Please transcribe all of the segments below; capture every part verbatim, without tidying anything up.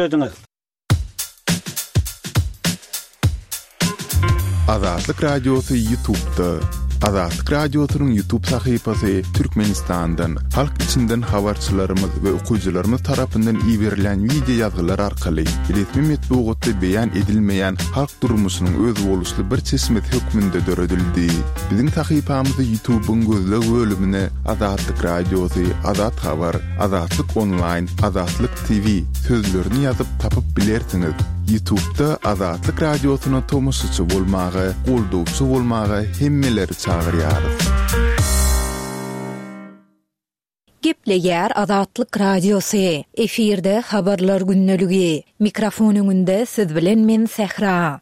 Ediňiz. Azatlyk Radiosy YouTube'da. Azatlyk Radiosynyň YouTube sahypasy Türkmenistandan, halk içinden habarçylarymyz we okyjylarymyz tarapyndan iberilen wideo ýazgylar arkaly resmi metbugatda beýan edilmeýän halk durmuşynyň özboluşly bir çeşmesi hökmünde döredildi. Biziň sahypamyzy YouTube'yň gözleg bölümine Azatlyk Radiosy, Azat Habar, Azatlyk Online, Azatlyk T V sözlerini ýazyp tapyp bilersiňiz. YouTube'da Azatlyk Radiosyna tomaşaçy bolmaga, goldawçy bolmaga hemmeleri çagyrýarys. Gepleýär Azatlyk Radiosy. Efirde habarlar gündeligi. Mikrofon öňünde siz bilen men Sähra.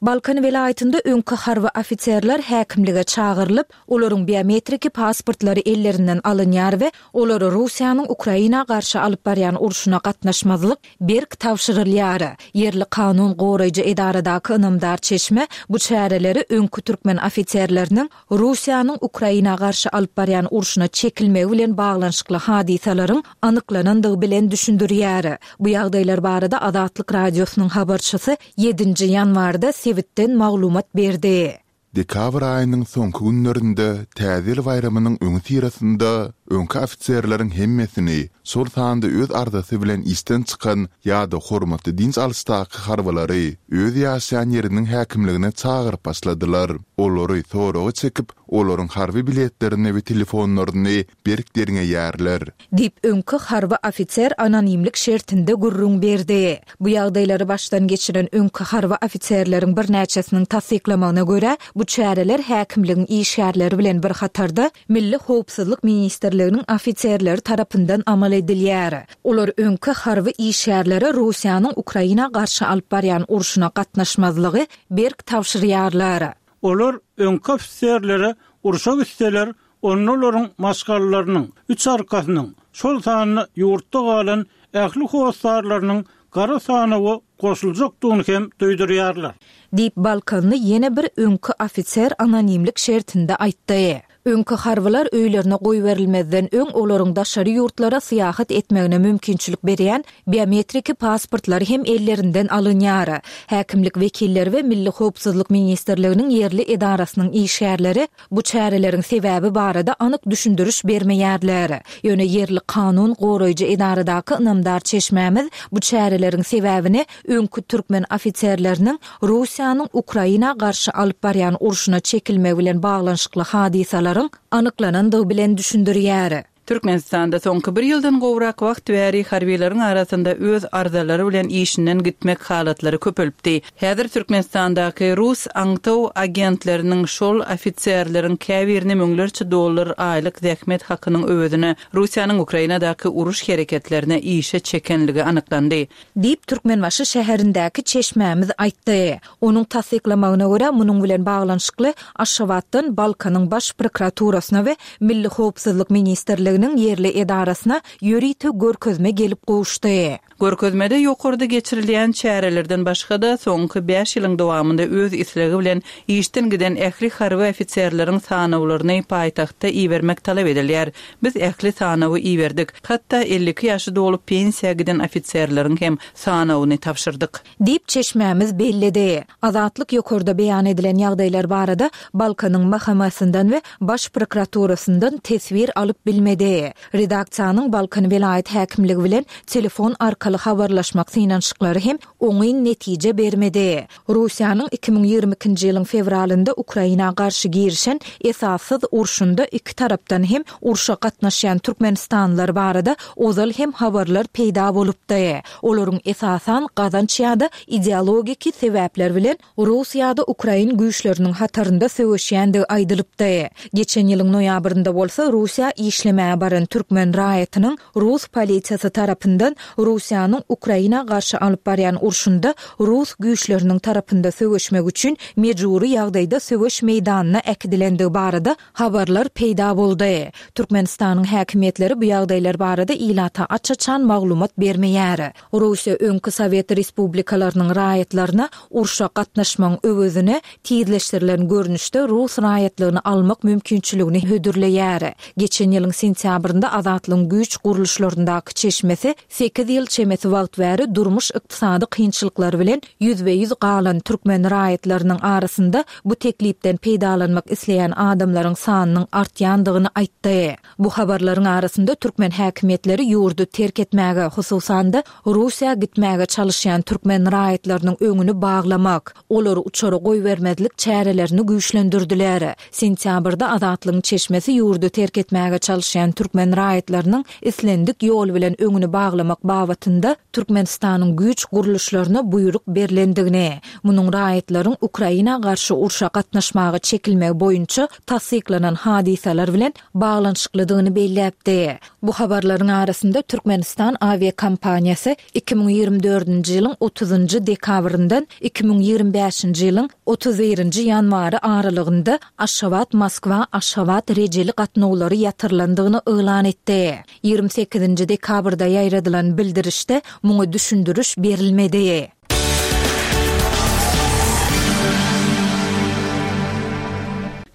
Balkan welaýatynda öňki harby ofiserler häkimlige çagyrylyp, olaryň biometriki pasportlary ellerinden alynýar we olary Russiýanyň Ukraina garşy alyp barýan urşuna gatnaşmazlyk berk tabşyrylýar. Ýerli kanun goraýjy edaradaky ynamdar çeşme bu çäreleri öňki türkmen ofiserleriniň Russiýanyň Ukraina garşy alyp barýan urşuna çekilmegi bilen baglanyşykly hadysalaryň anyklanandygy bilen düşündirýär. Bu ýagdaýlar barada Azatlyk Radiosynyň habarçysy ýedinji ýanwarda sebitden maglumat berdi. Dekabr aýynyň soňky günlerinde Täze ýyl baýramynyň öňi syrasynda öňki ofiserleriň hemmesini, şol sanda öz arzasy bilen işden çykan ýa-da hormatly dinç alyşdaky harbylary öz ýaşaýan ýeriniň häkimligine çagyryp başladylar. Olary soraga çekip, olaryň harby biletlerini we telefonlaryny berk derňeýärler. Diýip öňki harby ofiser anonimlik şertinde gürrüň berdi. Bu ýagdaýlary başdan geçiren öňki harby ofiserleriň birnäçesiniň tassyklamagyna görä, bu çäreler häkimligiň işgärleri bilen bir hatarda Milli Howpsuzlyk Ministrliginiň ofiserleri tarapyndan amal edilýär. Olar öňki harby işgärlere Russiýanyň Ukraina garşy alyp barýan urşuna gatnaşmazlygy berk tabşyrýarlar. Olar öňki ofiserlere urşa gitseler, onlaryň maşgalalarynyň, üç arkasynyň, şol sanda ýurtda galan ähli hossarlarynyň gara sanawa goşuljakdygyny hem duýdurýarlar. Diýip Balkanly ýene bir öňki ofiser anonimlik şertinde aýtdy. Öňki harbylar öýlerine goýberilmezden öň olaryň daşary ýurtlara syýahat etmegine mümkinçilik berýän biometriki pasportlary hem ellerinden alynýar. Häkimlik wekilleri we Milli Howpsuzlyk Ministrliginiň ýerli edarasynyň işgärleri bu çäreleriň sebäbi barada anyk düşündiriş bermeýärler. Ýöne ýerli kanun goraýjy edaradaky ynamdar çeşmämiz bu çäreleriň sebäbini öňki türkmen ofiserleriniň Russiýanyň Ukraina garşy alyp barýan urşuna çekilmegi bilen baglanyşykly hadysalaryň anyklanandygy bilen düşündirýär. Türkmenistanda soňky bir ýyldan gowrak wagt bäri harbiýlaryň arasynda öz arzalary bilen işinden gitmek halatlary köpelipdi. Häzir Türkmenistandaky rus aňtaw agentleriniň şol ofiserleriň käbirini müňlerçe dollar aýlyk zähmet hakynyň öwezine Russiýanyň Ukrainadaky uruş hereketlerine işe çekenligi anyklandy. Diýip Türkmenbaşy şäherindäki çeşmämiz aýtdy. Onuň tassyklamagyna görä, munuň bilen baglanyşykly Aşgabatdan Balkanyň baş prokuraturasyna we Milli Howpsuzlyk Ministrliginiň ýerli edarasyna ýörite görkezme gelip gowuşdy. Görkezmede ýokarda geçirilýän çärelerden başga-da soňky bäş ýylyň dowamynda öz islegi bilen işden giden ähli harby ofiserleriň sanawlaryny paýtagtda ibermek talap edilýär. Biz ähli sanawy iberdik. Hatda elli iki ýaşy dolup pensiýa giden ofiserleriň hem sanawyny tabşyrdyk. Diýip çeşmämiz belledi. Azatlyk ýokarda beýan edilen ýagdaýlar barada Balkanyň M H M-sinden we Baş prokuraturasyndan teswir alyp bilmedi. Redaksiýanyň Balkan welaýat häkimligi bilen telefon arkaly habarlaşmak synanyşyklary hem oňyn netije bermedi. Russiýanyň iki müň ýigrimi ikinji ýylyň fewralynda Ukraina garşy girişen esassyz urşunda iki tarapdan hem urşa gatnaşýan Türkmenistanlylar barada ozal hem habarlar peýda bolupdy. Olaryň esasan gazanç ýa-da ideologiki sebäpler bilen Rus ýa-da Ukrain güýçleriniň hatarynda söweşýändigi aýdylypdy. Geçen ýylyň noýabrynda bolsa Russiýa işlemäge baran türkmen raýatynyň Rus polisiýasy tarapyndan Russiýanyň Ukraina garşy alyp barýan urşunda Rus güýçleriniň tarapynda söweşmek üçin mejbury ýagdaýda söweş meýdanyna äkidilendigi barada habarlar peýda boldy. Türkmenistanyň häkimiýetleri bu ýagdaýlar barada ilata aç-açan maglumat bermeýär. Russiýa öňki Sowet Respublikalarynyň raýatlaryna urşa gatnaşmagyň öwezine tizleşdirilen görnüşde rus raýatlygyny almak mümkinçiligini hödürleýär. Geçen ýylyň sentýabrynda Azatlygyň güýç gurluşlaryndaky çeşmesi sekiz ýyl çemesi Çemesi wagt bäri durmuş-ykdysady kynçylyklary bilen ýüzbe-ýüz galan türkmen raýatlarynyň arasynda bu teklipden peýdalanmak isleýän adamlaryň sanynyň artýandygyny aýtdy. Bu habarlaryň arasynda türkmen häkimiýetleri ýurdy terk etmäge, hususan-da Russiýa gitmäge çalışýan türkmen raýatlarynyň öňüni baglamak, olary uçara goýbermezlik çärelerini güýçlendirdiler. Sentýabrda Azatlygyň çeşmesi ýurdy terk etmäge çalışýan türkmen raýatlarynyň islendik ýol bilen öňüni baglamak babatynda Türkmenistanyň güýç gurluşlaryna buýruk berlendigini, munuň raýatlaryň Ukraina garşy urşa gatnaşmaga çekilmegi boýunça tassyklanan hadysalar bilen baglanyşyklydygyny belläpdi. Bu habarlaryň arasynda Türkmenistan awiakompaniýasy iki müň ýigrimi dördünji ýylyň otuzynjy dekabryndan iki müň ýigrimi bäşinji ýylyň otuz birinji ýanwary aralygynda Aşgabat-Moskwa-Aşgabat rejeli gatnawlary ýatyrylandygyny yglan etdi. Ýigrimi sekizinji dekabrda ýaýradylan bildirişde muňa düşündiriş berilmedi.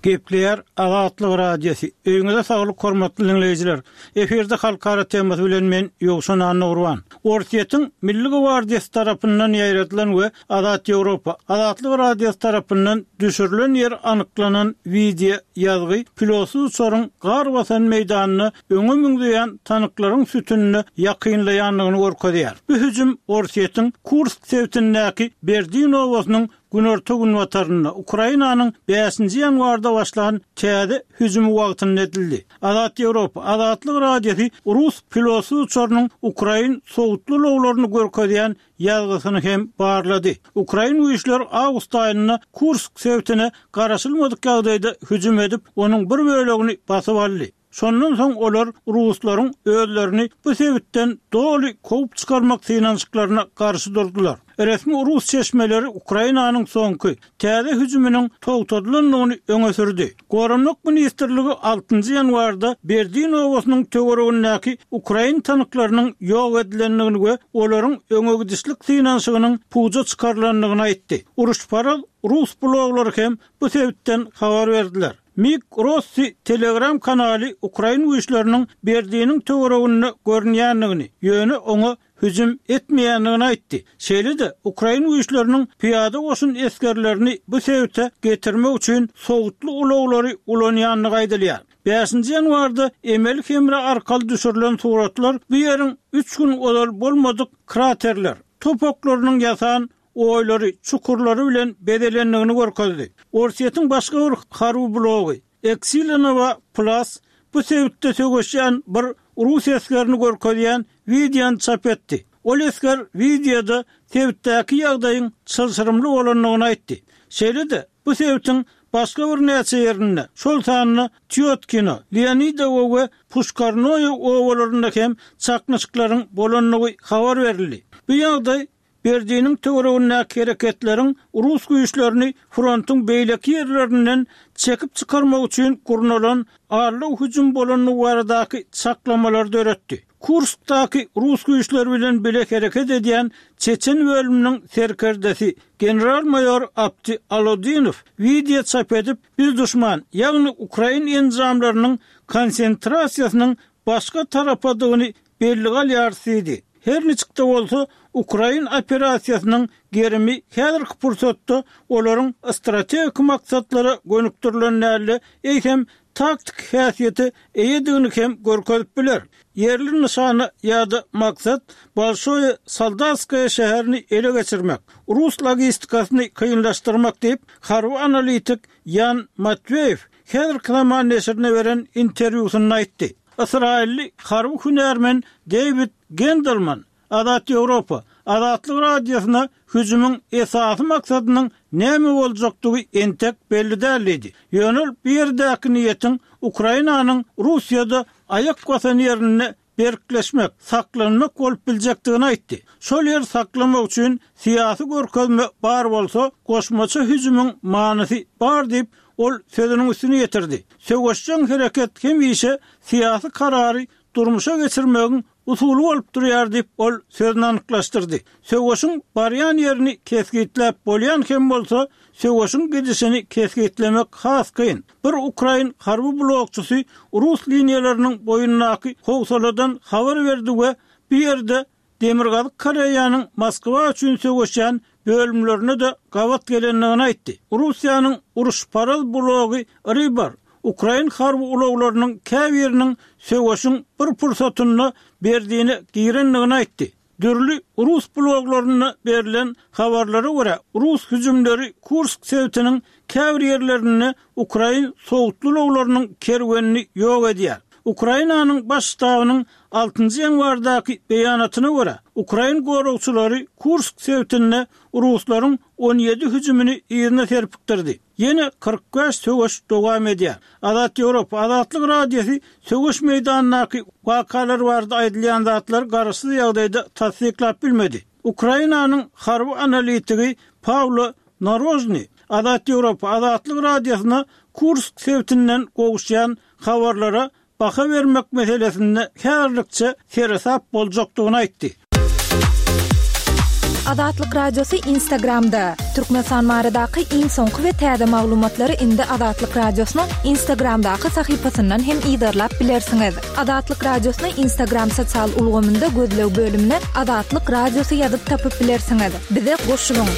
Gepleýär Azatlyk Radiosy. Öýüňize saglyk hormatly diňleýjiler. Efirde halkara temasy bilen men Ýowşan Annagurban. Orsýetiň Milli gwardiýasy tarapyndan ýaýradylan we Azat Ýewropa, Azatlyk Radiosy tarapyndan düşürilen ýer anyklanan wideo ýazgy pilotsyz uçaryň gar basan meýdanyna öňe müňzeýän tanklaryň sütünine ýakynlaýandygyny görkezýär. Bu hüjüm Orsýetiň Kursk sebitindäki Berdin obasynyň günorta-günbatarynda Ukrainanyň bäşinji ýanwarda başlan täze hüjümi wagtynda edildi. Azat Ýewropa, Azatlyk Radiosy rus pilotsyz uçarynyň ukrain sowutly ulaglaryny görkezýän ýazgysyny hem barlady. Ukrain güýçleri awgust aýynda Kursk sebitine garaşylmadyk ýagdaýda hüjüm edip, onuň bir bölegini basyp aldy. Şondan soň olar ruslaryň özlerini bu sebitden doly kowup çykarmak synanyşyklaryna garşy durdular. Resmi rus çeşmeleri Ukrainanyň soňky, täze hüjüminiň togtadylandygyny öňe sürdi. Goranmak ministrligi altynjy ýanwarda Berdin obasynyň töweregindäki ukrain tanklarynyň ýok edilendigini we olaryň öňe gidişlik synanyşygynyň puja çykarylandygyny aýtdy. Uruşparaz rus bloglary hem bu sebitden habar berdiler. Mik Rossi Telegram kanaly ukrain güýçleriniň Berdiniň töwereginde görünýändigini, ýöne oňa hüjüm etmeýändigini aýtdy. Şeýle-de ukrain güýçleriniň pyýada goşun esgerlerini bu sebite getirmek üçin sowutly ulaglary ulanýandygy aýdylýar. Bäşinji ýanwarda emeli hemra arkaly düşürilen suratlar bu ýeriň üç gün ozal bolmadyk kraterler, topaklarynyň ýasan oýlary, çukurlary bilen bezelendigini görkezdi. Orsýetiň başga bir harby blogy Eksilinowa Plus bu sebitde söweşýän bir rus esgerini görkezýän wideony çap etdi. Ol esger wideoda sebitdäki ýagdaýyň çylşyrymly bolandygyny aýtdy. Şeýle-de bu sebitiň başga birnäçe ýerinde, şol sanda Týotkino, Leonidowo we Puşkarnoýe obalarynda hem çaknyşyklaryň bolandygy habar berildi. Bu ýagdaý Berdiniň töweregindäki hereketleriň rus güýçlerini frontuň beýleki ýerlerinden çekip çykarmak üçin gurnalan aldaw hüjüm bolandygy baradaky çaklamalary döretdi. Kurskdaky rus güýçleri bilen bile hereket edýän çeçen bölüminiň serkerdesi general-maýor Apti Alodinow wideo çap edip, biz duşman, ýagny ukrain enjamlarynyň konsentrasiýasynyň başga tarapadygyny bellige alýarys diýdi. Her niçik-de bolsa, ukrain operasiýasynyň gerimi häzirki pursatda olaryň strategik maksatlara gönükdirilen däl-de, eýsem taktik häsiýete eýedigini hem görkezip biler. Ýerli nyşana ýa-da maksat Bolşoýe Soldatskoýe şäherini ele geçirmek, rus logistikasyny kynlaşdyrmak diýip, harby analitik Ýan Matweýew häzirki zaman neşirine beren interwýusynda aýtdy. Ysraýylly harby hünärmen Deýwid Gendelman Azat Ýewropa, Azatlyk Radiosyna hüjümiň esasy maksadynyň näme boljakdygy entek belli däl diýdi. Ýöne ol bu ýerdäki niýetiň Ukrainanyň Russiýada aýak basan ýerinde berkleşmek, saklanmak bolup biljekdigini aýtdy. Şol ýeri saklamak üçin syýasy görkezme bar bolsa, goşmaça hüjümiň manysy bar diýip, ol sözüniň üstüni ýetirdi. Söweşjeň hereket hemişe syýasy karary durmuşa geçirmegiň usuly bolup durýar diýip, ol sözüni anyklaşdyrdy. Söweşiň barýan ýerini kesgitläp bolýan hem bolsa, söweşiň gidişini kesgitlemek has kyn. Bir ukrain harby blogçysy rus liniýalarynyň boýundaky howsaladan habar berdi we bu ýerde Demirgazyk Koreýanyň Moskwa üçin söweşýän bölümlerine-de gabat gelendigini aýtdy. Russiýanyň uruşparaz blogy Rybar ukrain harby ulaglarynyň käbiriniň söweşiň bir pursatynda Berdine girendigini aýtdy. Dürli rus bloglarynda berlen habarlara görä, rus hüjümleri Kursk sebitiniň käbir ýerlerinde ukrain sowutly ulaglarynyň kerwenini ýok edýär. Ukrainanyň Baş ştabynyň altynjy ýanwardaky beýanatyna görä, ukrain goragçylary Kursk sebitinde ruslaryň on ýedi hüjümini yzyna serpikdirdi. Ýene kyrk bäş söweş dowam edýär. Azat Ýewropa, Azatlyk Radiosy söweş meýdanyndaky wakalar barada aýdylýan zatlary garaşsyz ýagdaýda tassyklap bilmedi. Ukrainanyň harby analitigi Pawlo Narožny Azat Ýewropa, Azatlyk Radiosyna Kursk sebitinden gowuşýan habarlara baha bermek meselesinde häzirlikçe seresap boljakdygyny aýtdy. Azatlyk Radiosy Instagramda. Türkmenistan baradaky iň soňky we täze maglumatlary indi Azatlyk Radiosynyň Instagramdaky sahypasyndan hem yzarlap bilersiňiz. Azatlyk Radiosyny Instagram sosial ulgamynda gözleg bölümine Azatlyk Radiosy ýazyp tapyp bilersiňiz. Bize goşulyň.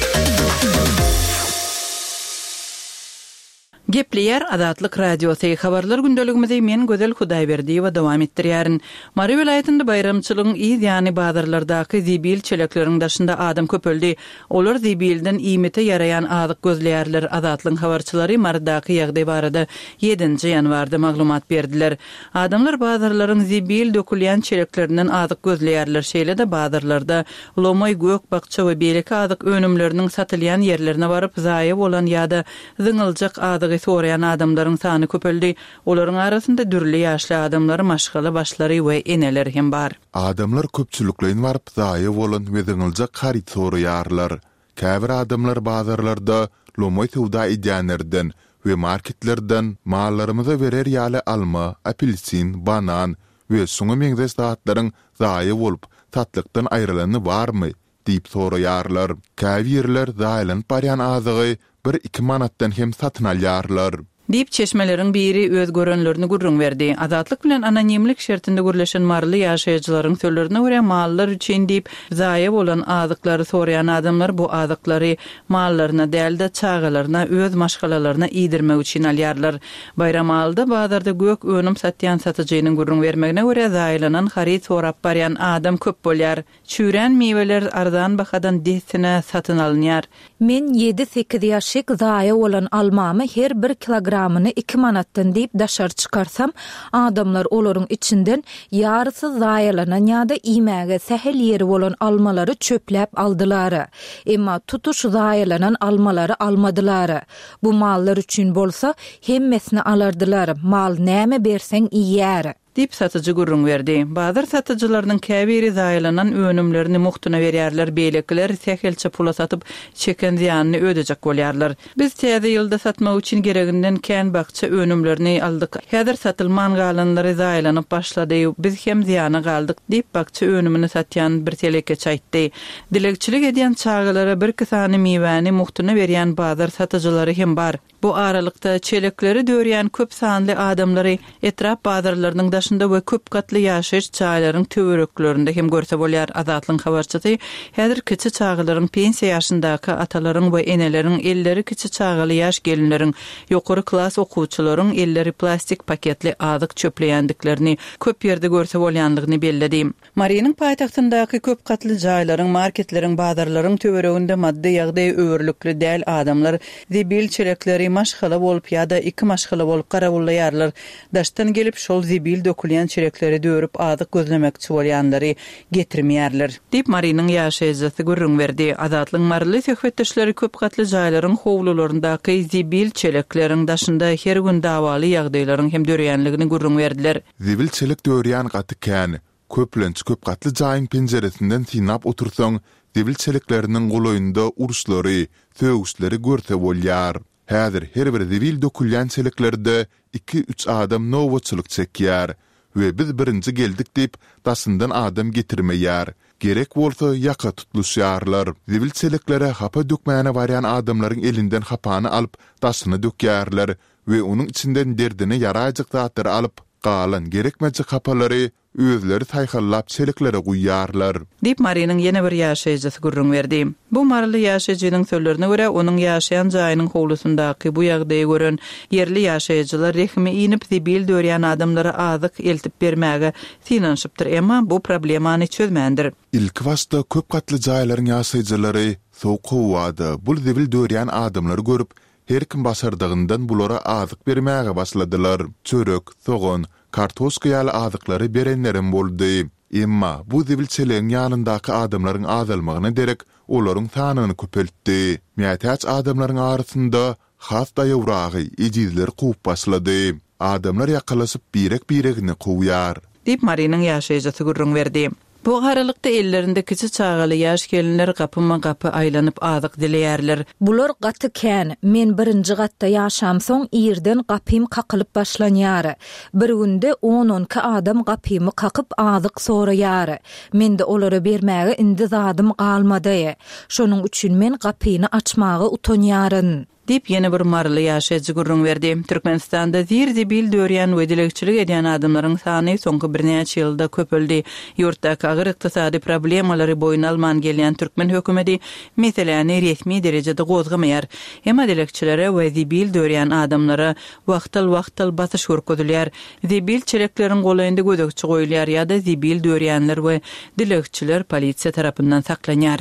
Gepleýär Azatlyk Radiosy. Habarlar gündeligimizi men Gözel Hudaýberdiýewa dowam etdirýärin. Mary welaýatynda baýramçylygyň yz ýany bazarlardaky zibil çelekleriň daşynda adam köpeldi. Olar zibilden iýmite ýaraýan azyk gözleýärler. Azatlygyň habarçylary Marydaky ýagdaý barada ýedinji ýanwarda maglumat berdiler. Adamlar bazarlaryň zibil dökülýän çeleklerinden azyk gözleýärler. Şeýle-de bazarlarda lomaý, gök, bakça we beýleki azyk önümleriniň satylýan ýerlerine baryp, zaýa bolan ýa-da zyňyljak azygy soraýan adamlaryň sany köpeldi. Olaryň arasynda dürli ýaşly adamlar, maşgala başlary we eneler hem bar. Adamlar köpçülikleýin baryp zaýa bolan we zyňyljak haryt soraýarlar. Käbir adamlar bazarlarda lomaý söwda edýänlerden we marketlerden mallarymyza berer ýaly alma, apelsin, banan we şoňa meňzeş zatlaryň zaýa bolup, satlykdan aýrylany barmy diýip soraýarlar. Käbirler zaýalanyp barýan azygy bir-iki manatdan hem satyn alýarlar. Diýip, çeşmeleriň biri öz görenlerini gürrüň berdi. Azatlyk bilen anonimlik şertinde gürleşen maryly ýaşaýjylaryň sözlerine görä, mallar üçin diýip, zaýa bolan azyklary soraýan adamlar bu azyklary mallaryna däl-de, çagalaryna, öz maşgalalaryna iýdirmek üçin alýarlar. Baýramalyda bazarda gök önüm satýan satyjynyň gürrüň bermegine görä, zaýalanan haryt sorap barýan adam köp bolýar. Çüýrän miweler arzan bahadan dessine satyn alynýar. Men ýedi-sekiz ýaşyk zaýa bolan almamy her bir kilogramyny iki manatdan diýip daşary çykarsam, adamlar olaryň içinden ýarysy zaýalanan ýa-da iýmäge sähel ýeri bolan almalary çöpläp aldylar. Emma tutuş zaýalanan almalary almadylar. Bu mallar üçin bolsa hemmesini alardylar, mal näme berseň iýer. Diýip satyjy gürrüň berdi. Bazar satyjylarynyň käbiri zaýalanan önümlerini mugtuna berýärler, beýlekiler sähelçe pula satyp, çeken zyýanyny ödejek bolýarlar. Biz täze ýylda satmak üçin gereginden kän bakja önümlerini aldyk. Häzir satylman galanlary zaýalanyp başlady, biz hem zyýana galdyk, diýip, bakja önümini satýan bir telekeçi aýtdy. Dilegçilik edýän çagalara birki sany miwäni mugtuna berýän bazar satyjylary hem bar. Bu aralykda çelekleri dörýän köp sanly adamlary etrap bazarlarynyň daşynda we köp gatly ýaşaýyş jaýlaryň töwereklerinde hem görse bolýar. Azatlygyň habarçysy häzir kiçi çagalaryň pensiýa ýaşyndaky atalaryň we eneleriň elleri kiçi çagaly ýaş gelinleriň, ýokary klas okuwçylaryň elleri plastik paketli azyk çöpleýändiklerini köp ýerde görse bolýanlygyny belledi. Marynyň paýtagtyndaky köp gatly jaýlaryň, marketleriň, bazarlaryň töwereginde maddy ýagdaýy öwürlikli däl adamlar zibil çelekleri maşgala bolup ýa-da iki maşgala bolup garawullaýarlar. Daşdan gelip şol zibil dökülýän çelekleri dörüp azyk gözlemekçi bolýanlary getirmeýärler. Diýip, Marynyň ýaşaýjysy gürrüň berdi. Azatlygyň maryly söhbetdeşleri köp gatly jaýlaryň howlularyndaky zibil çelekleriň daşynda her gün dawaly ýagdaýlaryň hem döreýänligini gürrüň berdiler. Zibil çelek dörýän gaty kän. Köplenç köp gatly jaýyň penjiresinden synlap otursaň, zibil çelekleriniň golaýynda uruşlary, sögüşleri görse bolýar. Häzir her bir zibil dökülýän çeleklerde iki-üç adam nobatçylyk çekýär we biz birinji geldik diýip, daşyndan adam getirmeýär. Gerek bolsa ýaka tutluşýarlar. Zibil çeleklere hapa dökmäne barýan adamlaryň elinden hapany alyp, daşyna dökýärler we onuň içinden derdine ýaraýjak zatlary alyp, galan gerekmejek hapalary özleri saýhallap çeleklere guýýarlar. Diýip, Marynyň ýene bir ýaşaýjysy gürrüň berdi. Bu maryly ýaşaýjynyň sözlerine görä, onuň ýaşaýan jaýynyň howlusyndaky bu ýagdaýy gören ýerli ýaşaýjylar rehimi inip, zibil dörýän adamlara azyk eltip bermäge synanyşypdyr, emma bu problemany çözmändir. Ilkibaşda köp gatly jaýlaryň ýaşaýjylary sowuk howada bul zibil dörýän adamlary görüp, her kim başardygyndan bulara azyk bermäge başladylar. Çörek, sogan, kartoşka ýaly azyklary berenlerem boldy. Emma bu zibil çelegiň ýanyndaky adamlaryň azalmagyna derek olaryň sanyny köpeltdi. Mätäç adamlaryň arasynda has daýawragy, ejizleri kowup başlady. Adamlar ýakalaşyp birek-biregini kowýar. Diýip, Marynyň ýaşaýjysy gürrüň berdi. Bu aralykda ellerinde kiçi çagaly ýaş gelinler gapyma-gapy aýlanyp azyk dileýärler. Bular gaty kän. Men birinji gatda ýaşamsoň irden gapym kakylyp başlanýar. Bir günde on-on iki adam gapymy kakyp azyk soraýar. Mende olara bermäge indi zadym galmady. Şonuň üçin men gapyny açmaga utanýaryn. Diýip, ýene bir maryly ýaşaýjy gürrüň berdi. Türkmenistanda zir-zibil dörýän we dilegçilik edýän adamlaryň sany soňky birnäçe ýylda köpeldi. Ýurtdaky agyr ykdysady problemalary boýun alman gelýän türkmen hökümeti meseläni resmi derejede gozgamaýar. Emma dilegçilere we zibil dörýän adamlara wagtal-wagtal basyş görkezilýär. Zibil çelekleriň golaýynda gözegçi goýulýar ýa-da zibil dörýänler we dilegçiler polisiýa tarapyndan saklanýar.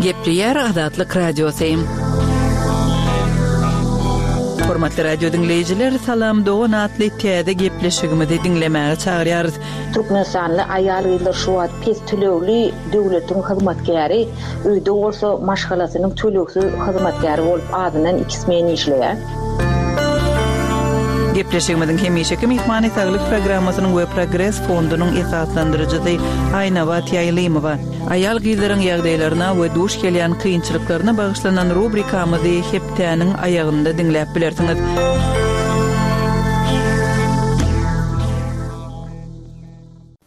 Gepleýär Azatlyk Radiosy. Hormatly radio diňleýjiler, Salam Dogan atly täze gepleşigimizi diňlemäge çagyrýarys. Türkmenistanly aýal-gyzlar şu wagt pes tölegli döwletiň hyzmatkäri, öýde bolsa maşgalasynyň tölegsiz hyzmatkäri bolup azyndan iki smen işleýär. Gepleşigimiziň hemişeki myhmany saglyk programmasynyň we Progres fondunyň esaslandyryjysy Aýnabat Ýaýlymowa. Aýal gyzlaryň ýagdaýlaryna we duş gelýän kynçylyklaryna bagyşlanan rubrikamyzy hepdäniň aýagynda diňläp bilersiňiz.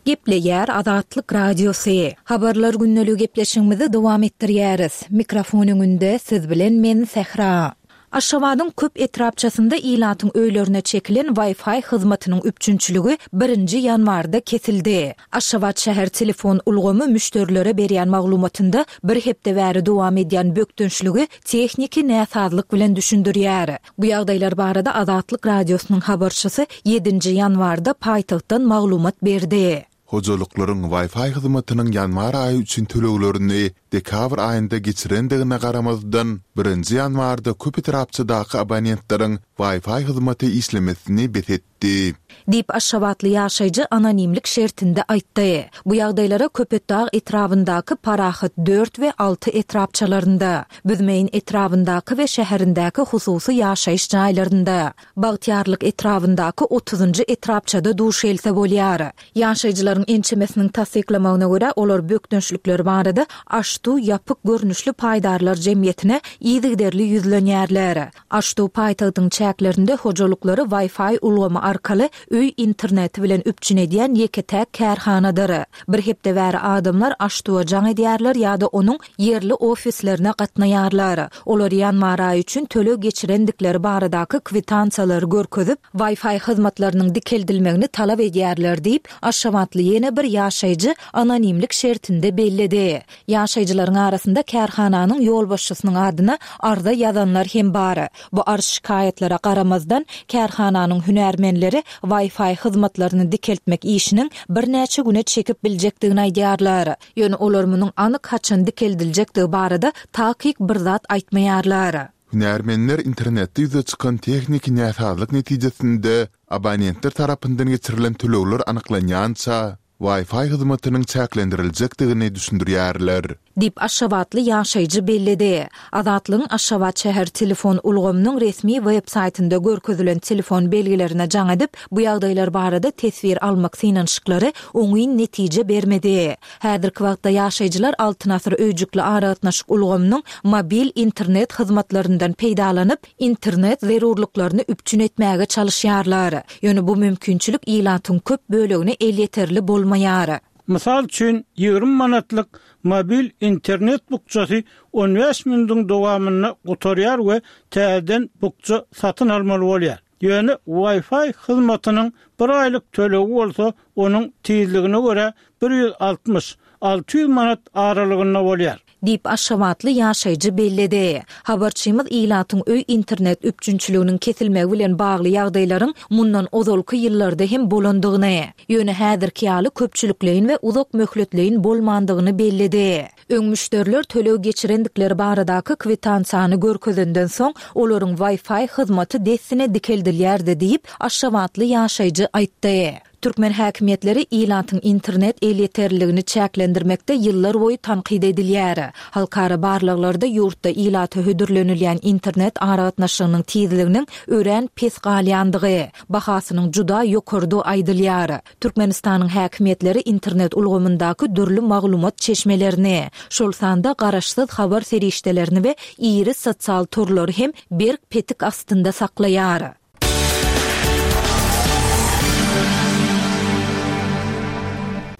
Gepleýär Azatlyk Radiosy. Habarlar gündeligi gepleşigimizi dowam etdirýäris. Mikrofon öňünde siz bilen men Sähra. Aşgabadyň köp etrapçasynda ilatyň öýlerine çekilen Wi-Fi hyzmatynyň üpjünçiligi birinji ýanwarda kesildi. Aşgabat şäher telefon ulgamy müşderilere berýän maglumatynda bir hepde bäri dowam edýän bökdençligi tehniki näsazlyk bilen düşündirýär. Bu ýagdaýlar barada Azatlyk Radiosynyň habarçysy ýedinji ýanwarda paýtagtdan maglumat berdi. Hojalyklaryň Wi-Fi hyzmatynyň ýanwar aýy üçin töleglerini dekabr aýynda geçirendigine garamazdan, birinji ýanwarda köp etrapçadaky abonentleriň Wi-Fi hyzmaty işlemesini bes etdi. Diýip Aşgabatly ýaşaýjy anonimlik şertinde aýtdy. Bu ýagdaýlara Köpetdag etrabyndaky Parahat dört we alty etrapçalarynda, Büzmeýin etrabyndaky we şäherindäki hususy ýaşaýyş jaýlarynda, Bagtyýarlyk etrabyndaky otuzynjy etrapçada duş gelse bolýar. Ýaşaýjylaryň ençemesiniň tassyklamagyna görä, olar bökdençlikleri barada Aştu ýapyk görnüşli paýdarlar jemgyýetine yzygiderli ýüzlenýärler. Aştu paýtagtyň çäklerinde hojalyklary Wi-Fi ulgamy arkaly öý interneti bilen üpjün edýän ýeke-täk kärhanadyr. Bir hepde bäri adamlar Aştuwa jaň edýärler ýa-da onuň ýerli ofislerine gatnaýarlar. Olar ýanwar aýy üçin töleg geçirendikleri baradaky kwitansiýalary görkezip, Wi-Fi hyzmatlarynyň dikeldilmegini talap edýärler diýip, Aşgabatly ýene bir ýaşaýjy anonimlik şertinde belledi. Ýaşaýjylaryň arasynda kärhananyň ýolbaşçysynyň adyna arza ýazanlar hem bar. Bu arz şikaýatlara garamazdan, kärhananyň hünärmenleri Wi-Fi hyzmatlaryny dikeltmek işiniň birnäçe güne çekip biljekdigini aýdýarlar. Ýöne olar munuň anyk haçan dikeldiljekdigi barada takyk bir zat aýtmaýarlar. Hünärmenler internetde ýüze çykan tehniki näsazlyk netijesinde abonentler tarapyndan geçirilen tölegler anyklanýança Wi-Fi hyzmatynyň çäklendiriljekdigini düşündirýärler. Diýip Aşgabatly ýaşaýjy belledi. Azatlygyň Aşgabat şäher telefon ulgamynyň resmi web saýtynda görkezilen telefon belgilerine jaň edip, bu ýagdaýlar barada teswir almak synanyşyklary oňyn netije bermedi. Häzirki wagtda ýaşaýjylar Altyn asyr öýjükli aragatnaşyk ulgamynyň mobil internet hyzmatlaryndan peýdalanyp, internet zerurlyklaryny üpjün etmäge çalyşýarlar. Ýöne bu mümkinçilik ilatyň köp bölegine elýeterli bolmaýar. Mysal üçin, ýigrimi manatlyk mobil internet bukjasy on bäş minudyň dowamynda gutarýar we täzeden bukja satyn almaly bolýar. Ýöne Wi-Fi hyzmatynyň bir aýlyk tölegi bolsa onuň tizligine görä bir ýüz altmyş, alty ýüz manat aralygynda bolýar. Diýip, aşgabatly ýaşaýjy belledi. Habarçymyz ilatyň öý internet üpjünçiliginiň kesilmegi bilen bagly ýagdaýlaryň mundan ozalky ýyllarda hem bolandygyny, ýöne häzirki ýaly köpçülikleýin we uzak möhletleýin bolmandygyny belledi. Öň müşderiler töleg geçirendikleri baradaky kwitansiýany görkezenden soň, olaryň Wi-Fi hyzmaty dessine dikeldilýärdi diýip, aşgabatly ýaşaýjy aýtdy. Türkmen häkimiýetleri ilatyň internet elýeterliligini çäklendirmekde ýyllar boýy tankyt edilýär. Halkara barlaglarda ýurtda ilata hödürlenilýän internet aragatnaşygynyň tizliginiň örän pes galýandygy, bahasynyň juda ýokardygy aýdylýar. Türkmenistanyň häkimiýetleri internet ulgamyndaky dürli maglumat çeşmelerini, şol sanda garaşsyz habar serişdelerini we iri sosial torlary hem berk petik astynda saklaýar.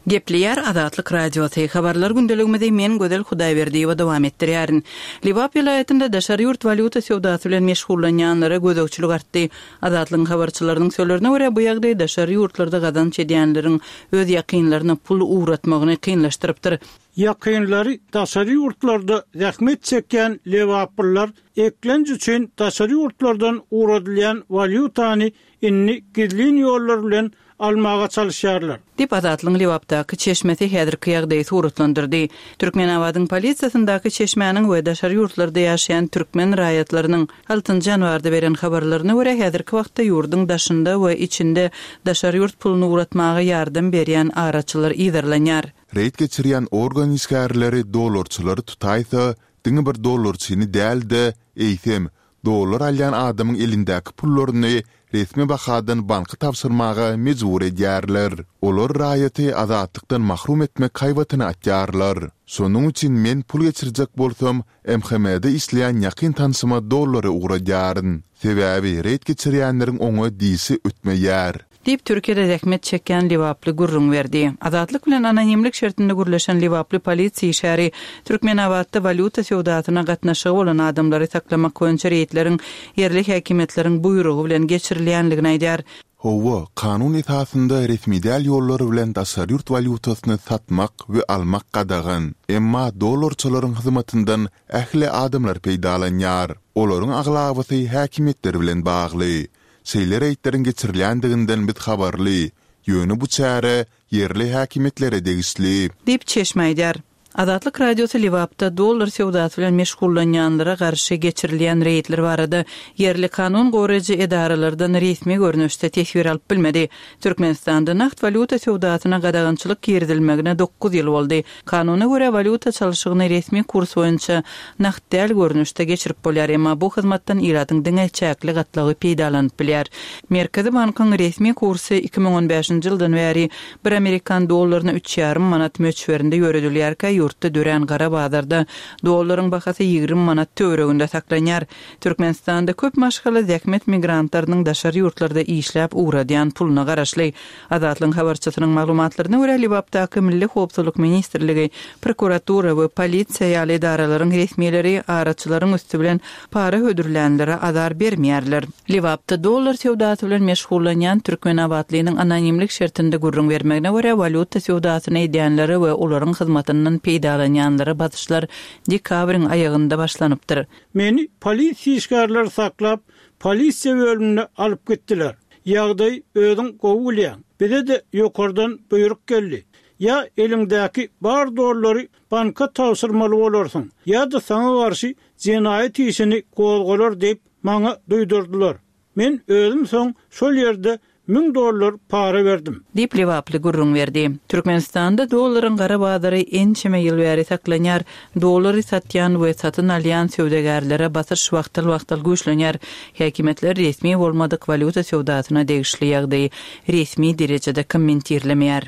Gepleýär Azatlyk Radiosy. Habarlar gündeligimizi men Gözel Hudaýberdiýewa dowam etdirýärin. Lebap welaýatynda daşary ýurt walýuta söwdasy bilen meşgullanýanlara gözegçilik artdy. Azatlygyň habarçylarynyň sözlerine görä, bu ýagdaý daşary ýurtlarda gazanç edýänleriň öz ýakynlaryna pul ugratmagyny kynlaşdyrypdyr. Ýakynlary daşary ýurtlarda zähmet çekýän lebaplylar eklenç üçin daşary ýurtlardan ugradylýan walýutany indi gizlin ýollar bilen almaga çalışýarlar. Diýip, Azatlygyň Lebapdaky çeşmesi häzirki ýagdaýy suratlandyrdy. Türkmenabadyň polisiýasyndaky çeşmäniň we daşary ýurtlarda ýaşaýan türkmen raýatlarynyň altynjy ýanwarda beren habarlaryna görä, häzirki wagtda ýurduň daşynda we içinde daşary ýurt puluny ugratmaga ýardam berýän araçylar yzarlanýar. Reýd geçirýän organ işgärleri dollarçylary tutaýsa, diňe bir dollarçyny däl-de, eýsem, dollar alýan adamyň elindäki pullaryny resmi bahadan banka tabşyrmaga mejbur edýärler. Olar raýaty azatlykdan mahrum etmek haýbatyny atýarlar. Şonuň üçin men pul geçirjek bolsam, M H M-de işleýän ýakyn tanşyma dollary ugradýaryn. Sebäbi reýd geçirýänleriň oňa dişi ötmeýär. Diýip, Türkiýede zähmet çekýän Lebaply gürrüň berdi. Azatlyk bilen anonimlik şertinde gürleşen Lebaply polisiýa işgäri Türkmenabatda walýuta söwdasyna gatnaşygy bolan adamlary saklamak boýunça reýdleriň ýerli häkimiýetleriň buýrugy bilen geçirilýänligini aýdýar. Hawa, kanun esasynda resmi däl ýollar bilen daşary ýurt walýutasyny satmak we almak gadagan. Emma dollarçylaryň hyzmatyndan ähli adamlar peýdalanýar. Olaryň aglabasy häkimiýetler bilen bagly. Şeýle reýdleriň geçirilýändiginden biz habarly. Ýöne bu çäre ýerli häkimiýetlere degişli. Diýip çeşme aýdýar. Azatlyk Radiosy Lebapda dollar söwdasy bilen meşgullanýanlara garşy geçirilýän reýdler barada ýerli kanun goraýjy edaralardan resmi görnüşde teswir alyp bilmedi. Türkmenistanda nagt walýuta söwdasyna gadagançylyk girizilmegine dokuz ýyl boldy. Kanuna görä walýuta çalşygyny resmi kurs boýunça nagt däl görnüşde geçirip bolýar, emma bu hyzmatdan ilatyň diňe çäkli gatlagy peýdalanyp bilýär. Merkezi bankyň resmi kursy iki müň on bäşinji ýyldan bäri bir amerikan dollaryna üç ýarym manat möçberinde ýöredilýärkä, ýurtda dörän gara bazarda dollaryň bahasy ýigrimi manat töwereginde saklanýar. Türkmenistanda köp maşgala zähmet migrantlarynyň daşary ýurtlarda işläp ugradýan puluna garaşly. Azatlygyň habarçysynyň maglumatlaryna görä, Lebapdaky Milli Howpsuzlyk Ministrligi, prokuratura we polisiýa ýaly edaralaryň resmileri araçylaryň üsti bilen para hödürlänlere azar bermeýärler. Lebapda dollar söwdasy bilen meşgullanýan Türkmenabatlynyň anonimlik şertinde gürrüň bermegine görä, walýuta söwdasyny edýänlere we olaryň hyzmatyndan peýdalanýanlara basyşlar dekabryň aýagynda başlanypdyr. Meni polisiýa işgärleri saklap, polisiýa bölümine alyp gitdiler. Ýagdaý özüň gowy bilýäň. Bize de ýokardan buýruk geldi. Ýa eliňdäki bar dollary banka tabşyrmaly bolarsyň, ýa-da saňa garşy jenaýat işini gozgalar diýip maňa duýdurdylar. Men özüm soň şol ýerde müň dollar para berdim. Diýip Lebaply gürrüň berdi. Türkmenistanda dollaryň gara bazary ençeme ýyl bäri saklanýar. Dollary satýan we satyn alýan söwdagärlere basyş wagtal-wagtal güýçlenýär. Häkimiýetler resmi bolmadyk walýuta söwdasyna degişli ýagdaýy resmi derejede kommentirlemeýär.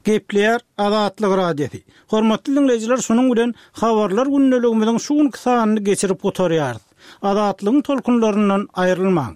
Gepleýär Azatlyk Radiosy. Hormatly dinleýjiler, şunuň bilen habarlar gündeligimiziň şu günki sanyny geçirip gutarýarys. Azatlygyň tolkunlaryndan aýrylmaň.